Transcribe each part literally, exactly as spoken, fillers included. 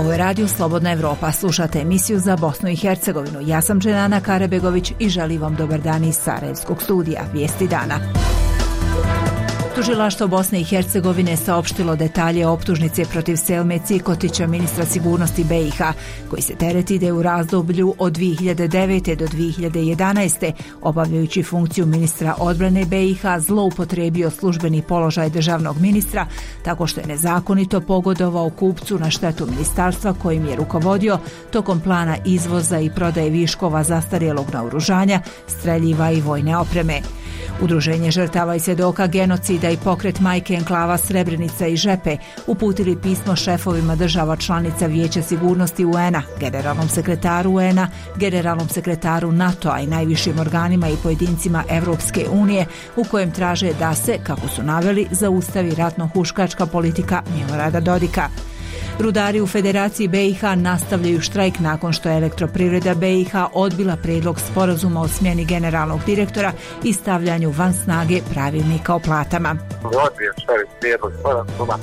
Ovo je Radio Slobodna Evropa. Slušate emisiju za Bosnu i Hercegovinu. Ja sam Dženana Karabegović i želim vam dobar dan iz Sarajevskog studija. Vijesti dana. Tužilaštvo Bosne i Hercegovine saopštilo detalje optužnice protiv Selme Cikotića, ministra sigurnosti B i H, koji se tereti da je u razdoblju od dvije hiljade devete. do dvije hiljade jedanaeste. obavljajući funkciju ministra odbrane B i H zloupotrijebio službeni položaj državnog ministra tako što je nezakonito pogodovao kupcu na štetu ministarstva kojim je rukovodio tokom plana izvoza i prodaje viškova zastarjelog naoružanja, streljiva i vojne opreme. Udruženje žrtava i svjedoka genocida i pokret Majke enklava Srebrenica i Žepe uputili pismo šefovima država članica Vijeća sigurnosti U N-a, generalnom sekretaru U N-a, generalnom sekretaru NATO-a i najvišim organima i pojedincima Evropske unije, u kojem traže da se, kako su naveli, zaustavi ratno-huškačka politika Milorada Dodika. Rudari u Federaciji B i H nastavljaju štrajk nakon što je Elektroprivreda B i H odbila prijedlog sporazuma o smjeni generalnog direktora i stavljanju van snage pravilnika o platama. Odbio štrajk prijedlog sporazuma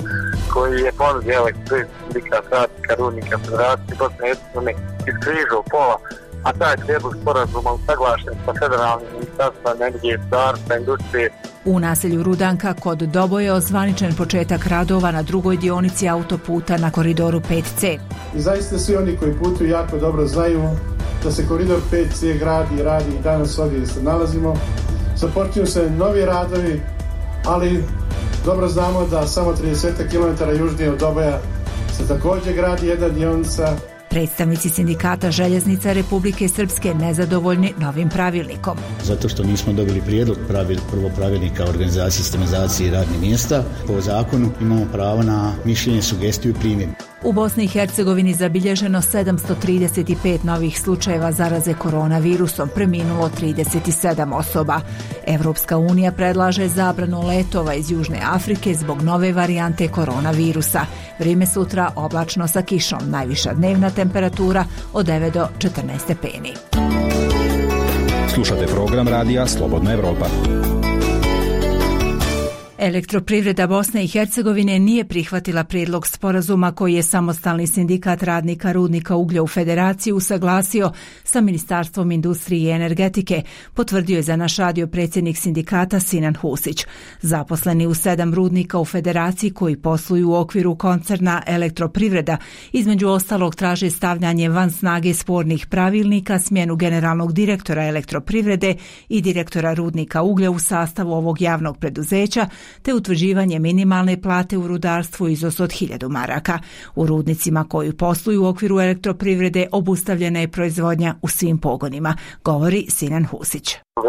koji je ponudio Elektroprivreda sindikat radnika Rudnika Federacije Bosne i Hercegovine iz križa pola, a taj prijedlog sporazuma usaglašen sa federalnim ministarstvom energije, gospodarstva, industrije. U naselju Rudanka kod Doboje je ozvaničen početak radova na drugoj dionici autoputa na koridoru pet C. I zaista svi oni koji putuju jako dobro znaju da se koridor pet C gradi i radi i danas ovdje gdje se nalazimo. Započinju se novi radovi, ali dobro znamo da samo trideset kilometara južnije od Doboja se također gradi jedna dionica. Predstavnici sindikata željeznica Republike Srpske nezadovoljni novim pravilnikom. Zato što nismo dobili prijedlog pravil, prvo pravilnika o organizaciji, sistematizaciji i radnih mjesta. Po zakonu imamo pravo na mišljenje, sugestiju i primjenu. U Bosni i Hercegovini zabilježeno sedamsto trideset pet novih slučajeva zaraze koronavirusom, preminulo trideset sedam osoba. Evropska unija predlaže zabranu letova iz Južne Afrike zbog nove varijante koronavirusa. Vrijeme sutra oblačno sa kišom, najviša dnevna temperatura od devet do četrnaest stepeni. Slušate program radija Slobodna Evropa. Elektroprivreda Bosne i Hercegovine nije prihvatila prijedlog sporazuma koji je samostalni sindikat radnika rudnika uglja u Federaciji usaglasio sa Ministarstvom industrije i energetike, potvrdio je za naš radio predsjednik sindikata Sinan Husić. Zaposleni u sedam rudnika u Federaciji koji posluju u okviru koncerna Elektroprivreda, između ostalog traže stavljanje van snage spornih pravilnika, smjenu generalnog direktora Elektroprivrede i direktora rudnika uglja u sastavu ovog javnog preduzeća, te utvrđivanje minimalne plate u rudarstvu iznos od hiljadu maraka. U rudnicima koji posluju u okviru Elektroprivrede obustavljena je proizvodnja u svim pogonima, govori Sinan Husić.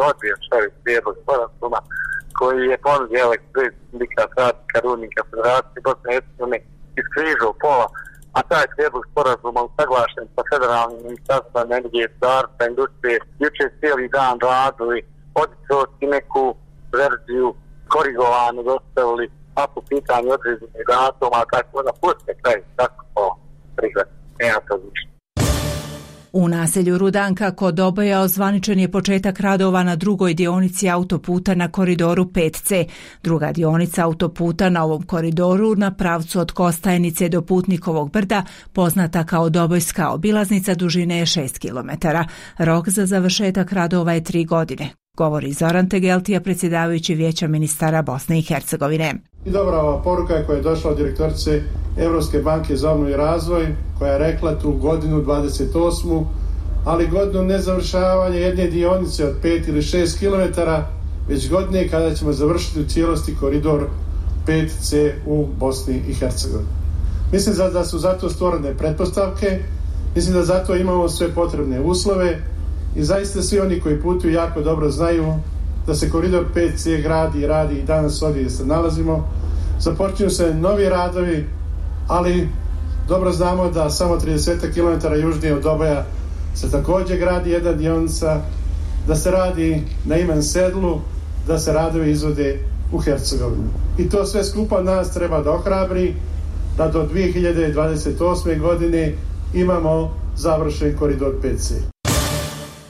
Odbio štrajk prijedlog sporazuma koji je ponudio Elektroprivreda sindikat radnika Rudnika Federacije Bosne i Hercegovine iz križa pola, a taj prijedlog sporazuma usaglašen sa federalnim ministarstvom energije, gospodarstva, industrije. Jučer cijeli dan radili, odicoti neku verziju korigovano dostavili, a po pitanju određenih datuma, tako da puste kraj, tako po prihvati. Nema to više. U naselju Rudanka kod Doboja ozvaničen je početak radova na drugoj dionici autoputa na koridoru pet C. Druga dionica autoputa na ovom koridoru na pravcu od Kostajnice do Putnikovog brda, poznata kao Dobojska obilaznica, dužine je šest kilometara. Rok za završetak radova je tri godine. Govori Zoran Tegeltija, predsjedavajući Vijeća ministara Bosne i Hercegovine. I dobra ova poruka koja je došla od direktorice Evropske banke za obnovu i razvoj, koja je rekla tu godinu dvadeset osmu, ali godinu ne završavanja jedne dionice od pet ili šest kilometara, već godine kada ćemo završiti u cijelosti koridor pet C u Bosni i Hercegovini. Mislim da su zato stvorene pretpostavke, mislim da zato imamo sve potrebne uslove i zaista svi oni koji putuju jako dobro znaju da se koridor pet C gradi i radi i danas ovdje gdje se nalazimo. Započinju se novi radovi, ali dobro znamo da samo trideset kilometara južnije od Doboja se također gradi jedna dionica, da se radi na Iman Sedlu, da se radovi izvode u Hercegovini. I to sve skupa nas treba da ohrabri da do dvije hiljade dvadeset osme. godine imamo završen koridor pet C.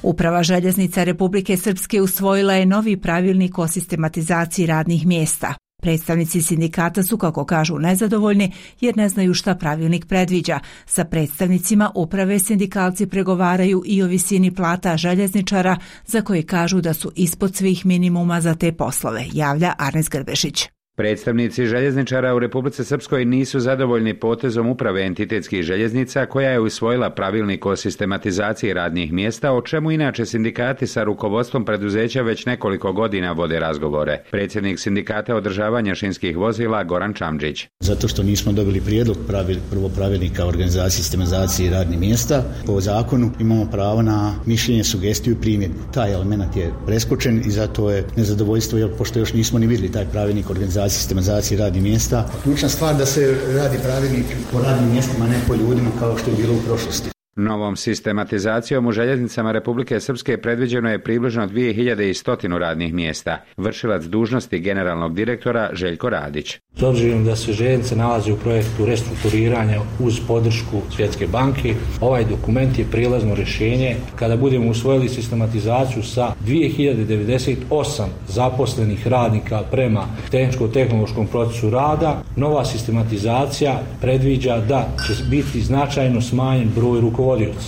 Uprava željeznica Republike Srpske usvojila je novi pravilnik o sistematizaciji radnih mjesta. Predstavnici sindikata su, kako kažu, nezadovoljni jer ne znaju šta pravilnik predviđa. Sa predstavnicima uprave sindikalci pregovaraju i o visini plata željezničara, za koje kažu da su ispod svih minimuma za te poslove, javlja Arnes Grbešić. Predstavnici željezničara u Republici Srpskoj nisu zadovoljni potezom uprave entitetskih željeznica koja je usvojila pravilnik o sistematizaciji radnih mjesta, o čemu inače sindikati sa rukovodstvom preduzeća već nekoliko godina vode razgovore. Predsjednik sindikata održavanja šinskih vozila Goran Čamđić. Zato što nismo dobili prijedlog pravil, prvo pravilnika o organizaciji i sistematizaciji radnih mjesta, po zakonu imamo pravo na mišljenje, sugestiju i primjedbu. Taj element je preskočen i zato je nezadovoljstvo, jer pošto još nismo ni vidjeli taj pravilnik o organizaciji sistematizaciji radnih mjesta. Ključna stvar da se radi pravilnik po radnim mjestima, ne po ljudima kao što je bilo u prošlosti. Novom sistematizacijom u željeznicama Republike Srpske predviđeno je približno dvije hiljade sto radnih mjesta. Vršilac dužnosti generalnog direktora Željko Radić. S obzirom da se željeznice nalazi u projektu restrukturiranja uz podršku Svjetske banke, ovaj dokument je prijelazno rješenje. Kada budemo usvojili sistematizaciju sa dvije hiljade devedeset osam zaposlenih radnika prema tehničko-tehnološkom procesu rada, nova sistematizacija predviđa da će biti značajno smanjen broj rukovodioca.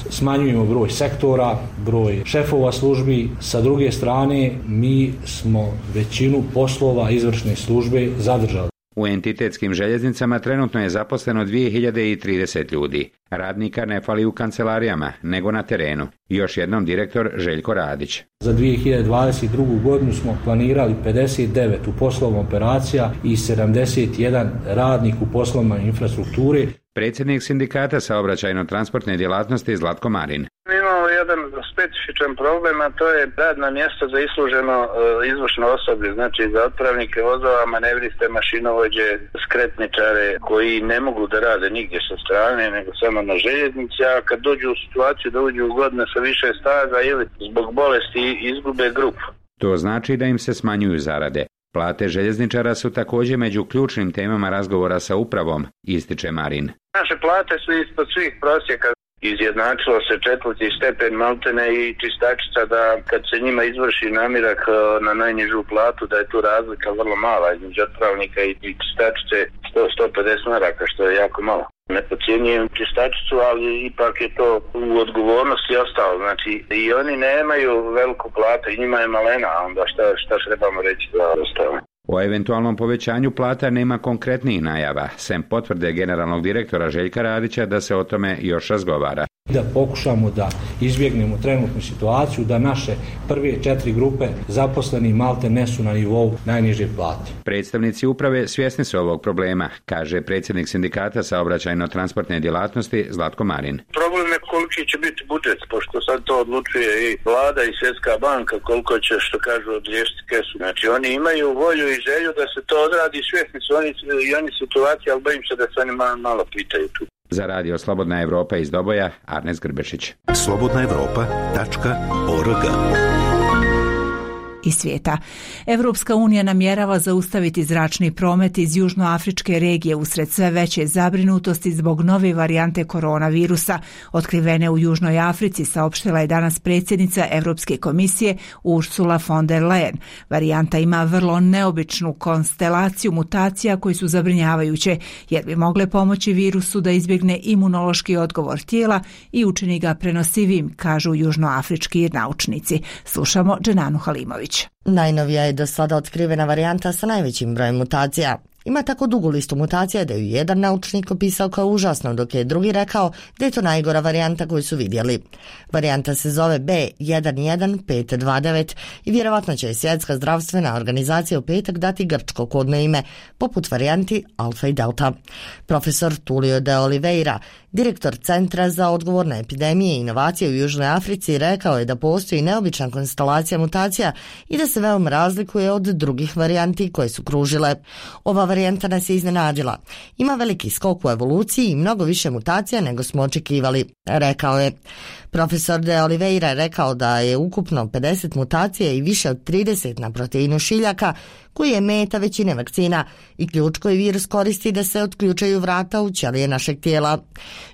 Smanjujemo broj sektora, broj šefova službi. Sa druge strane, mi smo većinu poslova izvršne službe zadržali. U entitetskim željeznicama trenutno je zaposleno dvije hiljade trideset ljudi. Radnika ne fali u kancelarijama, nego na terenu. Još jednom direktor Željko Radić. Za dvije hiljade dvadeset drugu godinu smo planirali pedeset devet u poslovima operacija i sedamdeset jedan radnik u poslovima infrastrukture. Predsjednik sindikata saobraćajno-transportne djelatnosti Zlatko Marin. Mi imamo jedan specifičan problem, a to je radna mjesta za isluženo uh, izvršno osoblje, znači za otpravnike vozova, manevriste, mašinovođe, skretničare koji ne mogu da rade nigdje sa strane, nego samo na željeznici, a kad dođu u situaciju da uđu u godine sa više staža ili zbog bolesti izgube grupu. To znači da im se smanjuju zarade. Plate željezničara su također među ključnim temama razgovora sa upravom, ističe Marin. Naše plate su ispod svih prosjeka. Izjednačilo se četvrti stepen maltene i čistačica da kad se njima izvrši namirak na najnižu platu da je tu razlika vrlo mala između otpravnika i čistačice sto do sto pedeset maraka, što je jako malo. Ne podcjenjujem čistačicu, ali ipak je to u odgovornosti ostalo. Znači i oni nemaju veliku platu i njima je malena, a onda šta, šta trebamo reći da ostalo. O eventualnom povećanju plata nema konkretnijih najava, sem potvrde generalnog direktora Željka Radića da se o tome još razgovara. Da pokušamo da izbjegnemo trenutnu situaciju da naše prve četiri grupe zaposleni malte ne su na nivou najniže plate. Predstavnici uprave svjesni su ovog problema, kaže predsjednik sindikata saobraćajno-transportne djelatnosti Zlatko Marin. Problem je koliki će biti budžet, pošto sad to odlučuje i vlada i Svjetska banka koliko će, što kažu, odriješiti kesu. Znači oni imaju volju i želju da se to odradi, svjesni su oni i oni situacije, ali bojim se da se oni malo pitaju tu. Za radio Slobodna Evropa iz Doboja, Arnes Grbešić. slobodna evropa tačka org i svijeta. Evropska unija namjerava zaustaviti zračni promet iz južnoafričke regije usred sve veće zabrinutosti zbog nove varijante koronavirusa. Otkrivene u Južnoj Africi, saopštila je danas predsjednica Europske komisije Ursula von der Leyen. Varijanta ima vrlo neobičnu konstelaciju mutacija koji su zabrinjavajuće, jer bi mogle pomoći virusu da izbjegne imunološki odgovor tijela i učini ga prenosivim, kažu južnoafrički naučnici. Slušamo Dženanu Halimović. Najnovija je do sada otkrivena varijanta sa najvećim brojem mutacija. Ima tako dugu listu mutacija da ju jedan naučnik opisao kao užasno, dok je drugi rekao da je to najgora varijanta koju su vidjeli. Varijanta se zove B jedan jedan pet dva devet i vjerovatno će Svjetska zdravstvena organizacija u petak dati grčko kodno ime, poput varijanti Alfa i Delta. Profesor Tulio de Oliveira, direktor Centra za odgovor na epidemije i inovacije u Južnoj Africi, rekao je da postoji neobična konstelacija mutacija i da se veoma razlikuje od drugih varijanti koje su kružile. Ova varijanta nas je iznenadila. Ima veliki skok u evoluciji i mnogo više mutacija nego smo očekivali, rekao je. Profesor de Oliveira je rekao da je ukupno pedeset mutacija i više od trideset na proteinu šiljaka, koji je meta većine vakcina i ključ koji virus koristi da se otključaju vrata u ćelije našeg tijela.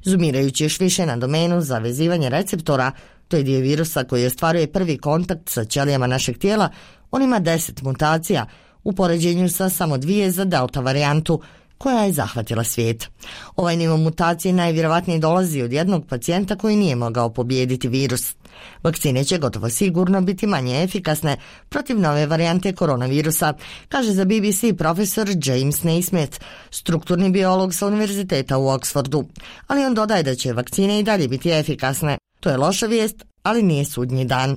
Zumirajući još više na domenu za vezivanje receptora, to je dio virusa koji ostvaruje prvi kontakt sa ćelijama našeg tijela, on ima deset mutacija, u poređenju sa samo dvije za delta varijantu, koja je zahvatila svijet. Ovaj nivo mutacije najvjerovatnije dolazi od jednog pacijenta koji nije mogao pobijediti virus. Vakcine će gotovo sigurno biti manje efikasne protiv nove varijante koronavirusa, kaže za B B C profesor James Naismith, strukturni biolog sa univerziteta u Oxfordu. Ali on dodaje da će vakcine i dalje biti efikasne. To je loša vijest, ali nije sudnji dan.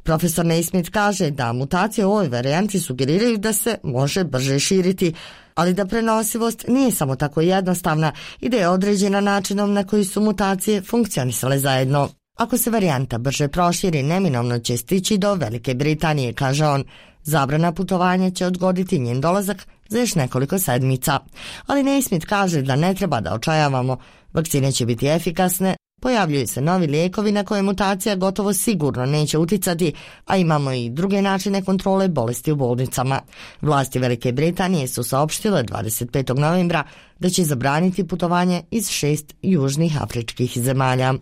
Profesor Naismith kaže da mutacije u ovoj varijanti sugeriraju da se može brže širiti, ali da prenosivost nije samo tako jednostavna i da je određena načinom na koji su mutacije funkcionisale zajedno. Ako se varijanta brže proširi, neminovno će stići do Velike Britanije, kaže on. Zabrana putovanja će odgoditi njen dolazak za još nekoliko sedmica. Ali Naismith kaže da ne treba da očajavamo. Vakcine će biti efikasne, pojavljuju se novi lijekovi na koje mutacija gotovo sigurno neće uticati, a imamo i druge načine kontrole bolesti u bolnicama. Vlasti Velike Britanije su saopštile dvadeset petog novembra da će zabraniti putovanje iz šest južnih afričkih zemalja.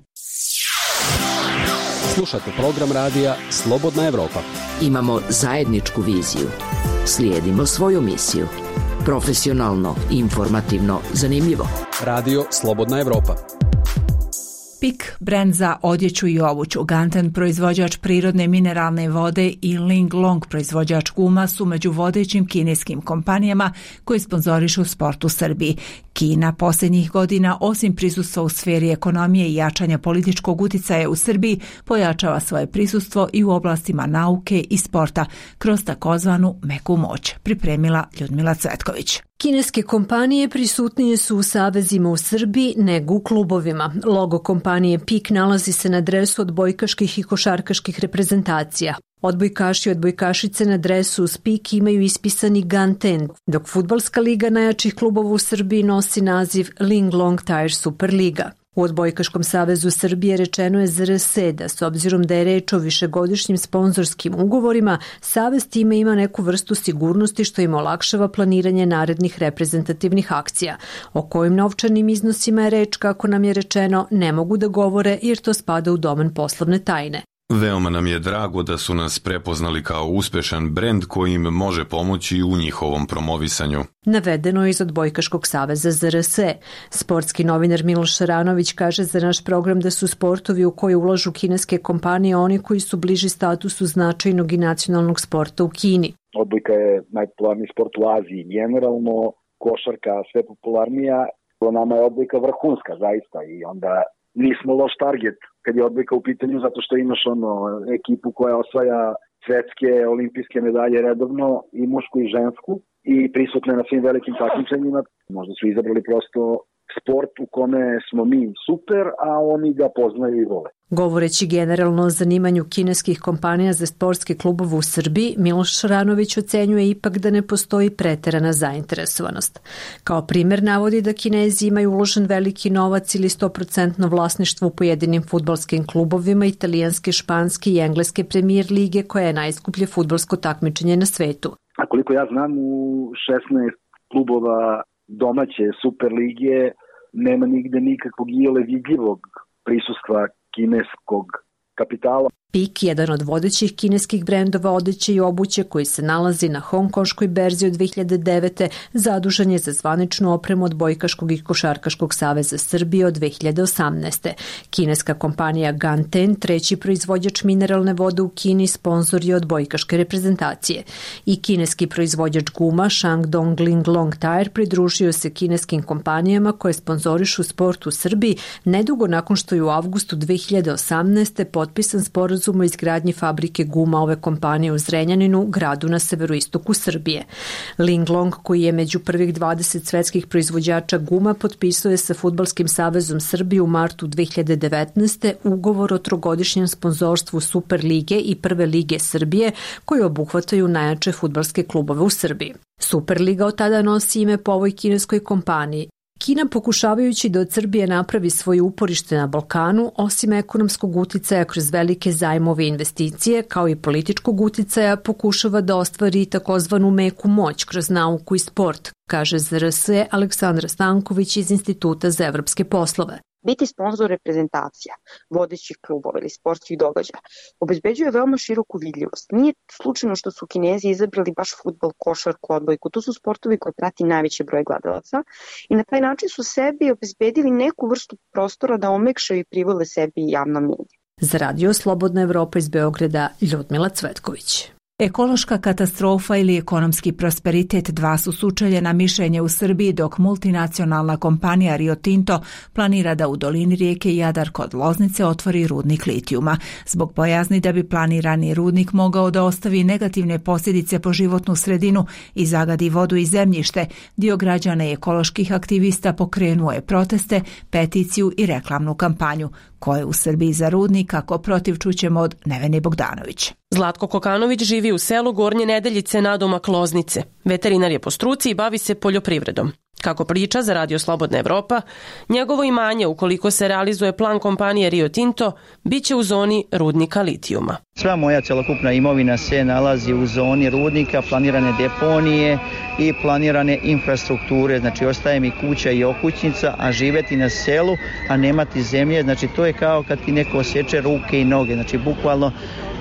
Slušate program radija Slobodna Evropa. Imamo zajedničku viziju. Slijedimo svoju misiju. Profesionalno, informativno, zanimljivo. Radio Slobodna Evropa. Pik, brend za odjeću i obuću, Ganten, proizvođač prirodne mineralne vode i Ling Long, proizvođač guma, su među vodećim kineskim kompanijama koji sponzorišu sport u Srbiji. Kina posljednjih godina, osim prisustva u sferi ekonomije i jačanja političkog uticaja u Srbiji, pojačava svoje prisustvo i u oblastima nauke i sporta kroz takozvanu meku moć, pripremila Ljudmila Cvetković. Kineske kompanije prisutnije su u savezima u Srbiji nego u klubovima. Logo kompanije Pik nalazi se na dresu odbojkaških i košarkaških reprezentacija. Odbojkaši i odbojkašice na dresu uz Pik imaju ispisani Ganten, dok fudbalska liga najjačih klubova u Srbiji nosi naziv Ling Long Tire Superliga. U Odbojkaškom savezu Srbije rečeno je Z R S da, s obzirom da je reč o višegodišnjim sponzorskim ugovorima, savez time ima neku vrstu sigurnosti što im olakšava planiranje narednih reprezentativnih akcija. O kojim novčanim iznosima je reč, kako nam je rečeno, ne mogu da govore jer to spada u domen poslovne tajne. Veoma nam je drago da su nas prepoznali kao uspešan brend koji im može pomoći u njihovom promovisanju. Navedeno je iz Odbojkaškog saveza Z R S. Sportski novinar Miloš Šaranović kaže za naš program da su sportovi u koje ulažu kineske kompanije oni koji su bliži statusu značajnog i nacionalnog sporta u Kini. Odbojka je najpopularniji sport u Aziji generalno, košarka sve popularnija, to nama je odbojka vrhunska zaista i onda nismo loš target kad je odbojka u pitanju zato što imaš ono ekipu koja osvaja svetske olimpijske medalje redovno i mušku i žensku i prisutne na svim velikim takmičenjima. Možda su izabrali prosto sport u kome smo mi super, a oni ga poznaju i vole. Govoreći generalno o zanimanju kineskih kompanija za sportske klubove u Srbiji, Miloš Šaranović ocenjuje ipak da ne postoji preterana zainteresovanost. Kao primjer navodi da Kinezi imaju uložen veliki novac ili sto posto vlasništvo u pojedinim fudbalskim klubovima italijanske, španske i engleske premijer lige koja je najskuplje fudbalsko takmičenje na svetu. A koliko ja znam, u šesnaest klubova domaće Super lige nema nigde nikakvog iole vidljivog prisustva kineskog kapitala. Pik, jedan od vodećih kineskih brendova odeće i obuće koji se nalazi na hongkonškoj berzi od dve hiljade devete. zadužen je za zvaničnu opremu Odbojkaškog i Košarkaškog saveza Srbije od dve hiljade osamnaeste. Kineska kompanija Ganten, treći proizvođač mineralne vode u Kini, sponzor je odbojkaške reprezentacije. I kineski proizvođač guma Shandong Ling Long Tire pridružio se kineskim kompanijama koje sponzorišu sport u Srbiji nedugo nakon što je u avgustu dve hiljade osamnaeste. potpisan sporazum o izgradnji fabrike guma ove kompanije u Zrenjaninu, gradu na severoistoku Srbije. Ling Long, koji je među prvih dvadeset svetskih proizvođača guma, potpisao je sa Fudbalskim savezom Srbije u martu dve hiljade devetnaeste. ugovor o trogodišnjem sponzorstvu Super lige i Prve lige Srbije, koji obuhvataju najjače fudbalske klubove u Srbiji. Superliga od tada nosi ime po ovoj kineskoj kompaniji. Kina, pokušavajući da od Srbije napravi svoje uporište na Balkanu, osim ekonomskog uticaja kroz velike zajmove i investicije, kao i političkog uticaja, pokušava da ostvari takozvanu meku moć kroz nauku i sport, kaže Z R S Aleksandra Stanković iz Instituta za evropske poslove. Biti sponzor reprezentacija, vodećih klubova ili sportskih događaja obezbeđuje veoma široku vidljivost. Nije slučajno što su Kinezi izabrali baš fudbal, košarku, odbojku. To su sportovi koje prati najveći broj gledalaca i na taj način su sebi obezbedili neku vrstu prostora da omekšaju i privole sebi javno mnjenje. Za radio Slobodna Evropa iz Beograda, Ljudmila Cvetković. Ekološka katastrofa ili ekonomski prosperitet dva su sučeljena mišljenja u Srbiji, dok multinacionalna kompanija Rio Tinto planira da u dolini rijeke Jadar kod Loznice otvori rudnik litijuma. Zbog bojazni da bi planirani rudnik mogao da ostavi negativne posljedice po životnu sredinu i zagadi vodu i zemljište, dio građana i ekoloških aktivista pokrenuo je proteste, peticiju i reklamnu kampanju. Ko je u Srbiji za rudnik, kako protiv, čućemo od Nevene Bogdanović. Zlatko Kokanović živi u selu Gornje Nedeljice nadomak Loznice. Veterinar je po struci i bavi se poljoprivredom. Kako priča za radio Slobodna Evropa, njegovo imanje, ukoliko se realizuje plan kompanije Rio Tinto, bit će u zoni rudnika litijuma. Sva moja celokupna imovina se nalazi u zoni rudnika, planirane deponije i planirane infrastrukture, znači ostaje mi kuća i okućnica, a živeti na selu, a nemati zemlje, znači to je kao kad ti neko osječe ruke i noge, znači bukvalno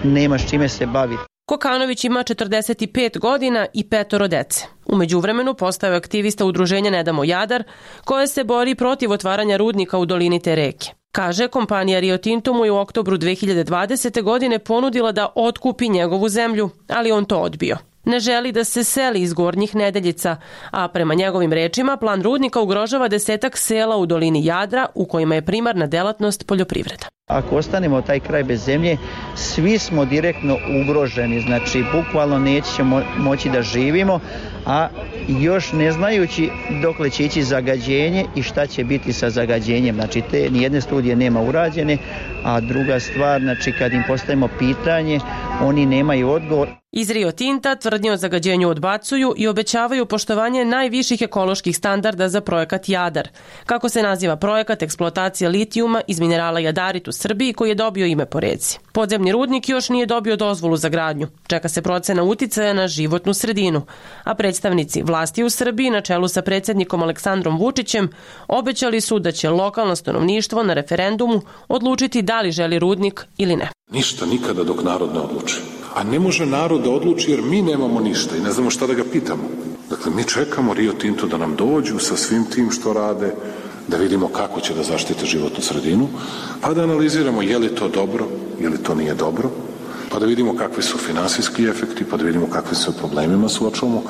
nemaš čime se baviti. Kokanović ima četrdeset pet godina i petoro dece. U međuvremenu postao je aktivista udruženja Ne damo Jadar, koje se bori protiv otvaranja rudnika u dolini te reke. Kaže, kompanija Rio Tinto mu je u oktobru dve hiljade dvadesete. godine ponudila da otkupi njegovu zemlju, ali on to odbio. Ne želi da se seli iz Gornjih Nedeljica, a prema njegovim rečima plan rudnika ugrožava desetak sela u dolini Jadra u kojima je primarna delatnost poljoprivreda. Ako ostanemo taj kraj bez zemlje, svi smo direktno ugroženi, znači bukvalno nećemo moći da živimo, a još ne znajući dokle će ići zagađenje i šta će biti sa zagađenjem. Znači te nijedne studije nema urađene, a druga stvar, znači kad im postavimo pitanje, oni nemaju odgovor. Iz Rio Tinta tvrdnje o zagađenju odbacuju i obećavaju poštovanje najviših ekoloških standarda za projekat Jadar. Kako se naziva projekat eksploatacije litijuma iz minerala jadarit u Srbiji, koji je dobio ime po reci. Podzemni rudnik još nije dobio dozvolu za gradnju. Čeka se procena uticaja na životnu sredinu. A predstavnici vlasti u Srbiji na čelu sa predsjednikom Aleksandrom Vučićem obećali su da će lokalno stanovništvo na referendumu odlučiti da li želi rudnik ili ne. Ništa nikada dok narod ne odluči. A ne može narod da odluči jer mi nemamo ništa i ne znamo šta da ga pitamo. Dakle, mi čekamo Rio Tinto da nam dođu sa svim tim što rade, da vidimo kako će da zaštite životnu sredinu, pa da analiziramo je li to dobro, je li to nije dobro, pa da vidimo kakvi su finansijski efekti, pa da vidimo kakvi su problemima suočavamo.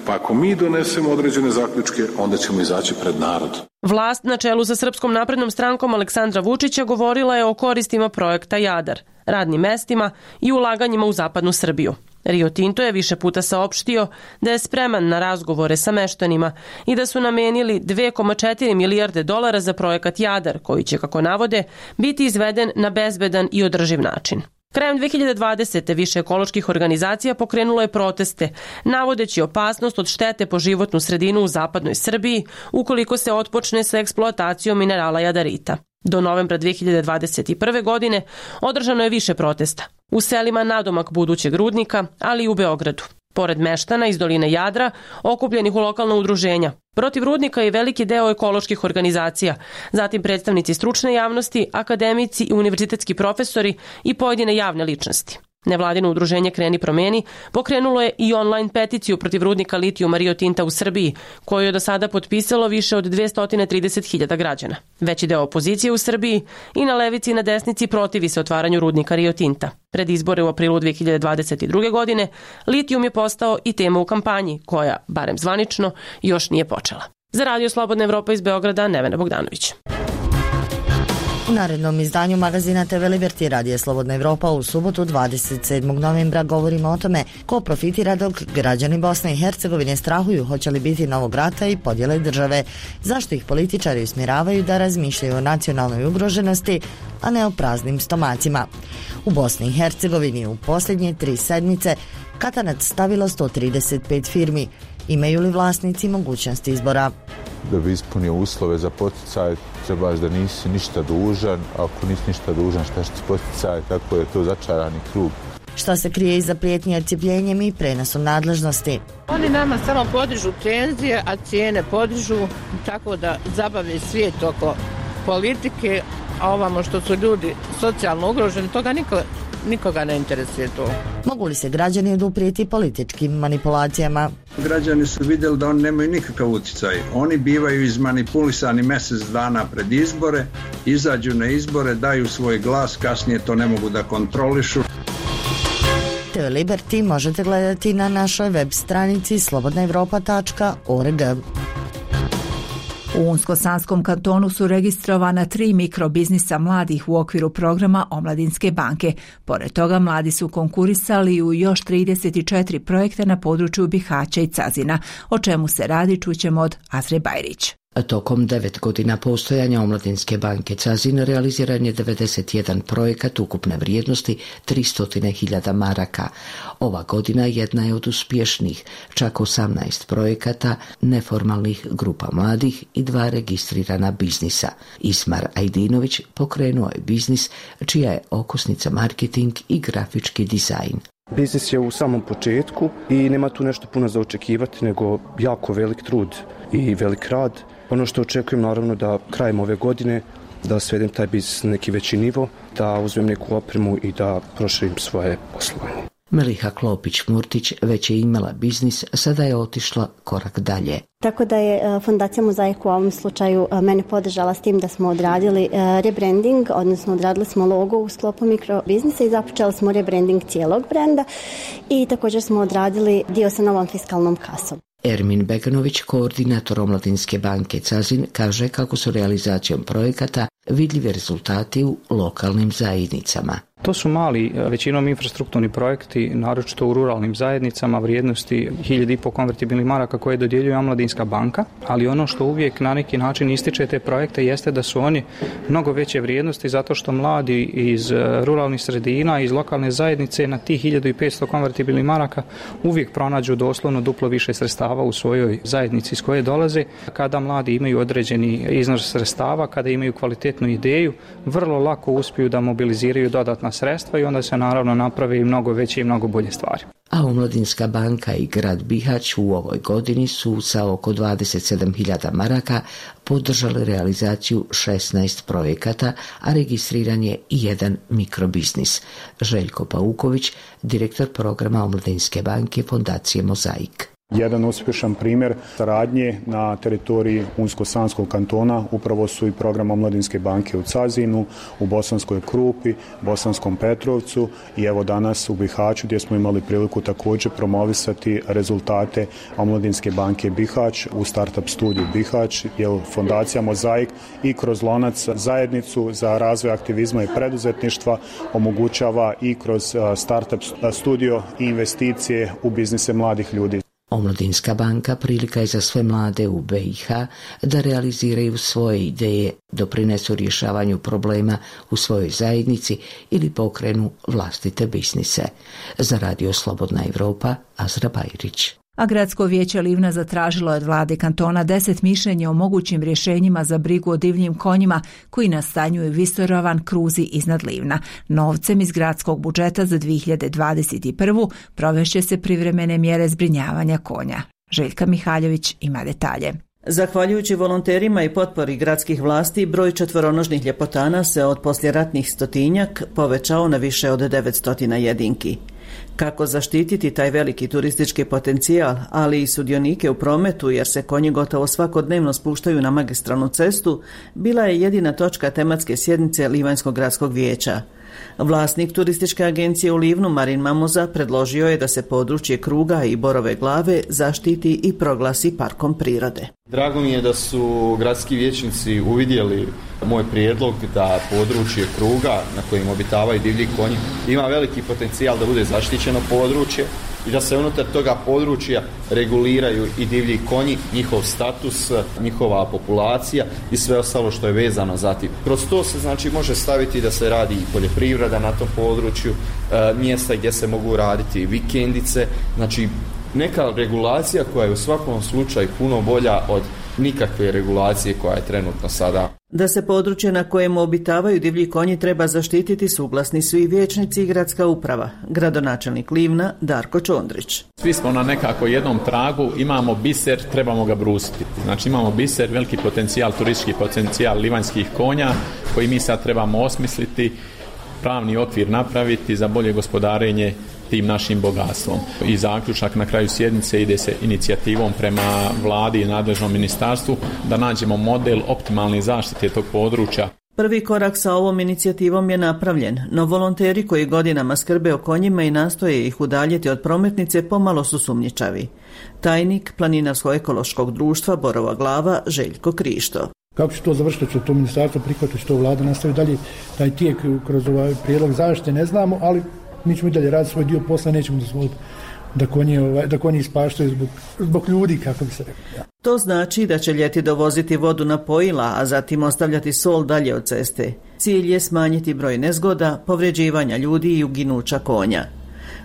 Pa ako mi donesemo određene zaključke, onda ćemo izaći pred narod. Vlast na čelu sa Srpskom naprednom strankom Aleksandra Vučića govorila je o koristima projekta Jadar, radnim mestima i ulaganjima u zapadnu Srbiju. Rio Tinto je više puta saopštio da je spreman na razgovore sa meštanima i da su namenili dve zarez četiri milijarde dolara za projekat Jadar, koji će, kako navode, biti izveden na bezbedan i održiv način. Krajem dve hiljade dvadesete. više ekoloških organizacija pokrenulo je proteste, navodeći opasnost od štete po životnu sredinu u zapadnoj Srbiji ukoliko se otpočne sa eksploatacijom minerala jadarita. Do novembra dve hiljade dvadeset prve. godine održano je više protesta u selima nadomak budućeg rudnika, ali i u Beogradu. Pored meštana iz doline Jadra, okupljenih u lokalna udruženja, protiv rudnika je veliki deo ekoloških organizacija, zatim predstavnici stručne javnosti, akademici i univerzitetski profesori i pojedine javne ličnosti. Nevladino udruženje Kreni promeni pokrenulo je i online peticiju protiv rudnika litijuma Rio Tinta u Srbiji, koju je do sada potpisalo više od dvesta trideset hiljada građana. Veći deo opozicije u Srbiji i na levici i na desnici protivi se otvaranju rudnika Rio Tinta. Pred izbore u aprilu dve hiljade dvadeset druge. godine litijum je postao i tema u kampanji, koja, barem zvanično, još nije počela. Za radio Slobodna Evropa iz Beograda, Nevena Bogdanović. U narednom izdanju magazina te ve Liberty radije Slobodna Evropa u subotu dvadeset sedmog novembra govorimo o tome ko profitira dok građani Bosne i Hercegovine strahuju hoće li biti novog rata i podjele države, zašto ih političari usmjeravaju da razmišljaju o nacionalnoj ugroženosti, a ne o praznim stomacima. U Bosni i Hercegovini u posljednje tri sedmice katanac stavilo sto trideset pet firmi. Imaju li vlasnici mogućnosti izbora? Da bi ispunio uslove za poticaj, trebaš da nisi ništa dužan, a ako nisi ništa dužan, šta će ti poticaj, tako je to začarani krug. Šta se krije iza prijetnje odcijepljenjem i prenosom nadležnosti? Oni nama samo podižu penzije, a cijene podižu, tako da zabave svijet oko politike, a ovamo što su ljudi socijalno ugroženi, toga niko, nikoga ne interesuje to. Mogu li se građani oduprijeti političkim manipulacijama? Građani su vidjeli da oni nemaju nikakav utjecaj. Oni bivaju izmanipulisani mjesec dana pred izbore, izađu na izbore, daju svoj glas, kasnije to ne mogu da kontrolišu. T V Liberty možete gledati na našoj web stranici slobodna evropa tačka org. U Unsko-Sanskom kantonu su registrovana tri mikrobiznisa mladih u okviru programa Omladinske banke. Pored toga, mladi su konkurisali u još trideset četiri projekta na području Bihaća i Cazina. O čemu se radi, čućemo od Azre Bajrić. Tokom devet godina postojanja Omladinske banke Cazin realiziran je devedeset jedan projekat ukupne vrijednosti tristo hiljada maraka. Ova godina jedna je od uspješnijih, čak osamnaest projekata neformalnih grupa mladih i dva registrirana biznisa. Ismar Ajdinović pokrenuo je biznis čija je okosnica marketing i grafički dizajn. Biznis je u samom početku i nema tu nešto puno za očekivati, nego jako velik trud i velik rad. Ono što očekujem naravno da krajem ove godine da svedem taj biznis na neki veći nivo, da uzmem neku opremu i da proširim svoje poslovanje. Meliha Klopić-Murtić već je imala biznis, sada je otišla korak dalje. Tako da je Fondacija Mozaik u ovom slučaju mene podržala s tim da smo odradili rebranding, odnosno odradili smo logo u sklopu mikrobiznisa i započeli smo rebranding cijelog brenda i također smo odradili dio sa novom fiskalnom kasom. Ermin Beganović, koordinator Omladinske banke Cazin, kaže kako su realizacijom projekata vidljivi rezultati u lokalnim zajednicama. To su mali, većinom infrastrukturni projekti, naročito u ruralnim zajednicama, vrijednosti hiljadu i pol konvertibilnih maraka koje dodjeljuje Omladinska banka, ali ono što uvijek na neki način ističe te projekte jeste da su oni mnogo veće vrijednosti zato što mladi iz ruralnih sredina, iz lokalne zajednice na tih hiljadu i petsto konvertibilnih maraka uvijek pronađu doslovno duplo više sredstava u svojoj zajednici iz koje dolaze. Kada mladi imaju određeni iznos sredstava, kada imaju kvalitetnu ideju, vrlo lako uspiju da mobiliziraju dodatna sredstva i onda se naravno naprave i mnogo veće i mnogo bolje stvari. A Omladinska banka i grad Bihać u ovoj godini su sa oko dvadeset sedam hiljada maraka podržali realizaciju šesnaest projekata, a registriran je i jedan mikrobiznis. Željko Pauković, direktor programa Omladinske banke Fondacije Mozaik. Jedan uspješan primjer saradnje na teritoriji Unsko-Sanskog kantona upravo su i program Omladinske banke u Cazinu, u Bosanskoj Krupi, Bosanskom Petrovcu i evo danas u Bihaću gdje smo imali priliku također promovisati rezultate Omladinske banke Bihać u Startup studiju Bihać, jer Fondacija Mozaik i kroz Lonac zajednicu za razvoj aktivizma i preduzetništva omogućava i kroz Startup studio i investicije u biznise mladih ljudi. Omladinska banka prilika je za sve mlade u B i H da realiziraju svoje ideje, doprinesu rješavanju problema u svojoj zajednici ili pokrenu vlastite biznise. Za Radio Slobodna Evropa, Azra Bajrić. A gradsko vijeće Livna zatražilo je od vlade kantona deset mišljenja o mogućim rješenjima za brigu o divljim konjima koji nastanjuju Visorovan kruzi iznad Livna. Novcem iz gradskog budžeta za dvije hiljade dvadeset prvu provešće se privremene mjere zbrinjavanja konja. Željka Mihaljević ima detalje. Zahvaljujući volonterima i potpori gradskih vlasti, broj četvoronožnih ljepotana se od poslijeratnih stotinjak povećao na više od devetsto jedinki. Kako zaštititi taj veliki turistički potencijal, ali i sudionike u prometu jer se konji gotovo svakodnevno spuštaju na magistralnu cestu, bila je jedina točka tematske sjednice Livanjskog gradskog vijeća. Vlasnik turističke agencije u Livnu, Marin Mamoza, predložio je da se područje Kruga i Borove glave zaštiti i proglasi parkom prirode. Drago mi je da su gradski vijećnici uvidjeli moj prijedlog da područje Kruga na kojem obitavaju divlji konji ima veliki potencijal da bude zaštićeno područje i da se unutar toga područja reguliraju i divlji konji, njihov status, njihova populacija i sve ostalo što je vezano za tim. Kroz to se znači može staviti da se radi i poljoprivreda na tom području, e, mjesta gdje se mogu raditi vikendice, znači neka regulacija koja je u svakom slučaju puno bolja od nikakve regulacije koja je trenutno sada. Da se područje na kojem obitavaju divlji konji treba zaštititi suglasni su i vijećnici i gradska uprava. Gradonačelnik Livna Darko Čondrić. Svi smo na nekako jednom tragu, imamo biser, trebamo ga brusiti. Znači imamo biser, veliki potencijal, turistički potencijal livanjskih konja koji mi sad trebamo osmisliti, pravni okvir napraviti za bolje gospodarenje tim našim bogatstvom. I zaključak na kraju sjednice ide se inicijativom prema vladi i nadležnom ministarstvu da nađemo model optimalne zaštite tog područja. Prvi korak sa ovom inicijativom je napravljen, no volonteri koji godinama skrbe o konjima i nastoje ih udaljiti od prometnice pomalo su sumnjičavi. Tajnik Planinarsko-ekološkog društva Borova Glava Željko Krišto. Kako će to završiti, će to ministarstvo prihvatiti, će to vlada nastavi dalje taj tijek kroz ovaj prijedlog zaštite, ne znamo, ali mi ćemo i dalje raditi svoj dio posla, nećemo dozvoliti da konji, ovaj, da konji ispaštaju zbog, zbog ljudi, kako bi se rekao. Ja. To znači da će ljeti dovoziti vodu na pojila, a zatim ostavljati sol dalje od ceste. Cilj je smanjiti broj nezgoda, povređivanja ljudi i uginuća konja.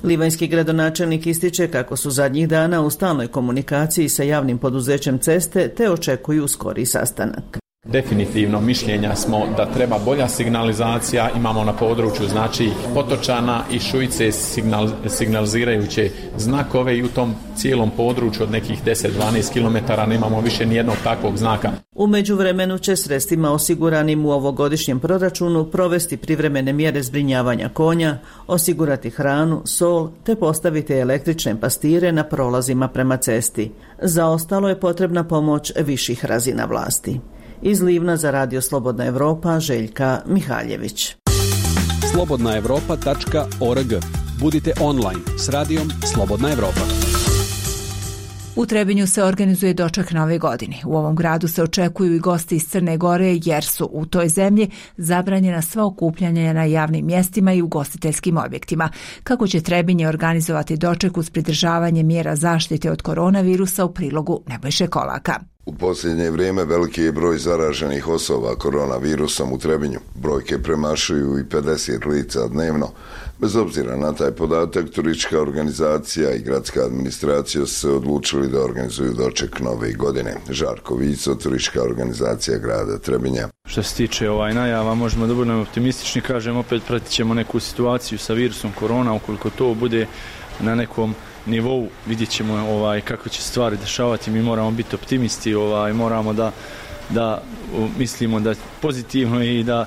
Livanjski gradonačelnik ističe kako su zadnjih dana u stalnoj komunikaciji sa javnim poduzećem ceste te očekuju skori sastanak. Definitivno mišljenja smo da treba bolja signalizacija, imamo na području znači Potočana i Šujice signal, signalizirajuće znakove i u tom cijelom području od nekih deset do dvanaest kilometara nemamo više nijednog takvog znaka. U međuvremenu će sredstvima osiguranim u ovogodišnjem proračunu provesti privremene mjere zbrinjavanja konja, osigurati hranu, sol te postaviti električne pastire na prolazima prema cesti. Za ostalo je potrebna pomoć viših razina vlasti. Iz Livna za Radio Slobodna Evropa Željka Mihaljević. slobodna evropa tačka org. Budite online s radijom Slobodna Evropa. U Trebinju se organizuje doček Nove godine. U ovom gradu se očekuju i gosti iz Crne Gore jer su u toj zemlji zabranjena sva okupljanja na javnim mjestima i ugostiteljskim objektima. Kako će Trebinje organizovati doček uz pridržavanje mjera zaštite od koronavirusa u prilogu Nebojše Kolaka. U posljednje vrijeme veliki je broj zaraženih osoba koronavirusom u Trebinju. Brojke premašuju i pedeset lica dnevno. Bez obzira na taj podatak, turistička organizacija i gradska administracija su se odlučili da organizuju doček Nove godine. Žarko Vico, turistička organizacija grada Trebinja. Što se tiče ovaj najava, možemo da budemo optimistični, kažem, opet pratit ćemo neku situaciju sa virusom korona, ukoliko to bude na nekom nivou, vidjet ćemo ovaj, kako će stvari dešavati. Mi moramo biti optimisti, ovaj, moramo da, da mislimo da pozitivno i da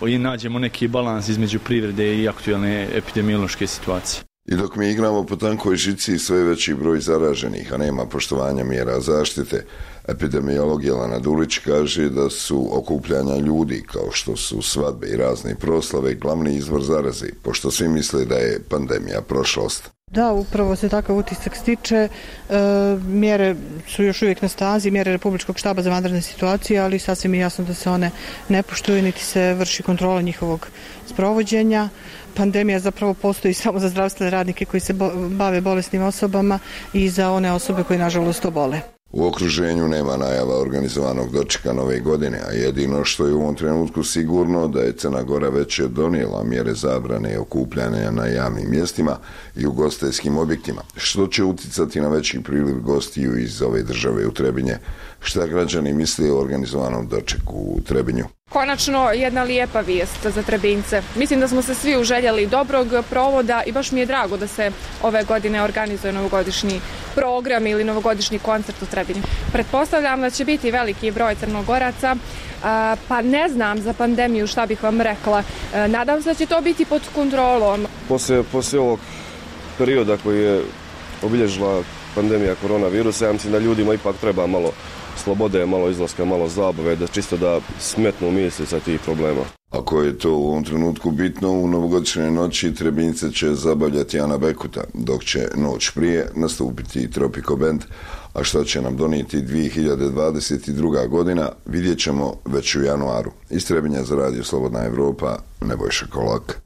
i nađemo neki balans između privrede i aktualne epidemiološke situacije. I dok mi igramo po tankoj žici sve veći broj zaraženih, a nema poštovanja mjera zaštite, epidemiolog Jelena Dulić kaže da su okupljanja ljudi, kao što su svadbe i razne proslave, glavni izvor zaraze, pošto svi misle da je pandemija prošlost. Da, upravo se takav utisak stiče. E, mjere su još uvijek na stazi, mjere Republičkog štaba za vanredne situacije, ali sasvim je jasno da se one ne poštuju, niti se vrši kontrola njihovog sprovođenja. Pandemija zapravo postoji samo za zdravstvene radnike koji se bo- bave bolesnim osobama i za one osobe koje nažalost obole. U okruženju nema najava organizovanog dočeka Nove godine, a jedino što je u ovom trenutku sigurno da je Crna Gora već donijela mjere zabrane okupljanja na javnim mjestima i ugostiteljskim objektima, što će uticati na veći priliv gostiju iz ove države u Trebinje. Šta građani misle o organizovanom dočeku u Trebinju? Konačno jedna lijepa vijest za Trebinjce. Mislim da smo se svi uželjeli dobrog provoda i baš mi je drago da se ove godine organizuje novogodišnji program ili novogodišnji koncert u Trebinju. Pretpostavljam da će biti veliki broj Crnogoraca, pa ne znam za pandemiju šta bih vam rekla. Nadam se da će to biti pod kontrolom. Poslije, poslije ovog perioda koji je obilježila pandemija koronavirusa, ja mislim da ljudima ipak treba malo slobode, malo izlaska, malo zabave, da čisto da smetnu misli sa tih problema. Ako je to u ovom trenutku bitno, u novogodišnjoj noći Trebinjce će zabavljati Ana Bekuta, dok će noć prije nastupiti Tropico Band, a što će nam donijeti dvije hiljade dvadeset druga. godina, vidjet ćemo već u januaru. Iz Trebinja za Radio Slobodna Evropa, Nebojša Kolak.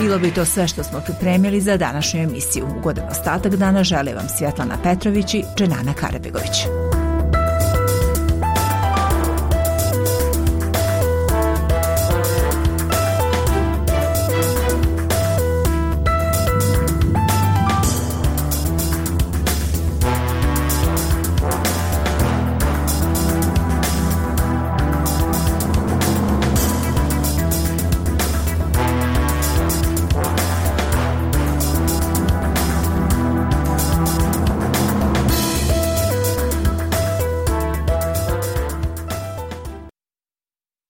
Bilo bi to sve što smo pripremili za današnju emisiju. Ugodan ostatak dana žele vam Svjetlana Petrović i Dženana Karabegović.